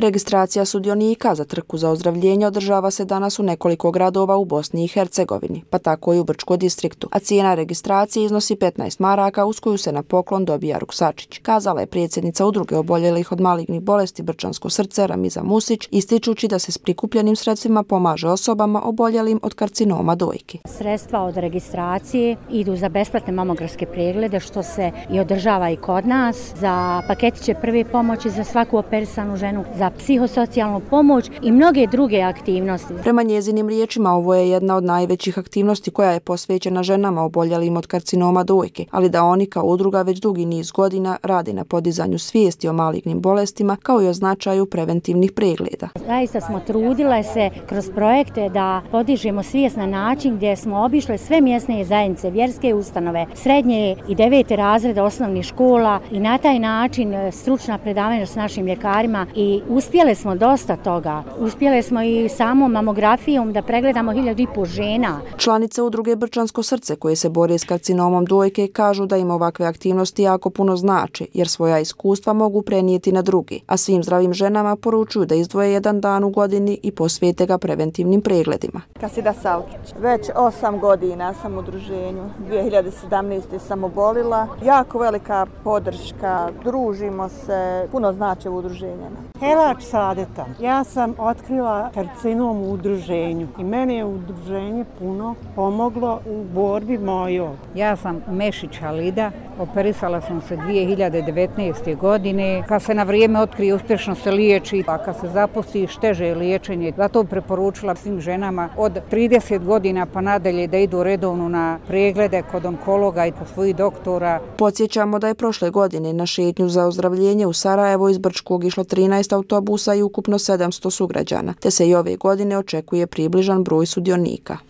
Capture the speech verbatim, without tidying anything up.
Registracija sudionika za trku za ozdravljenje održava se danas u nekoliko gradova u Bosni i Hercegovini, pa tako i u Brčkom distriktu, a cijena registracije iznosi petnaest maraka uz koju se na poklon dobija ruksačić, kazala je predsjednica udruge oboljelih od malignih bolesti Brčansko srce Ramiza Musić, ističući da se s prikupljenim sredstvima pomaže osobama oboljelim od karcinoma dojke. Sredstva od registracije idu za besplatne mamografske preglede, što se i održava i kod nas, za paketiće prve pomoći za svaku operisanu ženu, za psihosocijalnu pomoć i mnoge druge aktivnosti. Prema njezinim riječima, ovo je jedna od najvećih aktivnosti koja je posvećena ženama oboljelim od karcinoma dojke, ali da oni kao udruga već dugi niz godina radi na podizanju svijesti o malignim bolestima kao i o značaju preventivnih pregleda. Zaista smo trudile se kroz projekte da podižemo svijest na način gdje smo obišle sve mjesne zajednice, vjerske ustanove, srednje i devete razrede osnovnih škola i na taj način stručna predavanja s našim ljekarima i uspjeli smo dosta toga. Uspjeli smo i samom mamografijom da pregledamo hiljadu i po žena. Članice udruge Brčansko srce koje se bore s karcinomom dojke kažu da im ovakve aktivnosti jako puno znače jer svoja iskustva mogu prenijeti na drugi, a svim zdravim ženama poručuju da izdvoje jedan dan u godini i posvete ga preventivnim pregledima. Kasida Savkić. Već osam godina sam u udruženju. dvije hiljade sedamnaeste. sam obolila. Jako velika podrška. Družimo se. Puno znači u udruženjima. Helač Sadeta. Ja sam otkrila karcinom u udruženju i meni je udruženje puno pomoglo u borbi mojoj. Ja sam Mešić Halida. Operisala sam se dvije hiljade devetnaeste. godine. Kad se na vrijeme otkrije, uspješno se liječi, a kad se zapusti, šteže je liječenje. Zato preporučila svim ženama od trideset godina pa nadalje da idu redovno na preglede kod onkologa i kod svojih doktora. Podsjećamo da je prošle godine na šetnju za ozdravljenje u Sarajevo iz Brčkog išlo trinaest autobusa i ukupno sedamsto sugrađana, te se i ove godine očekuje približan broj sudionika.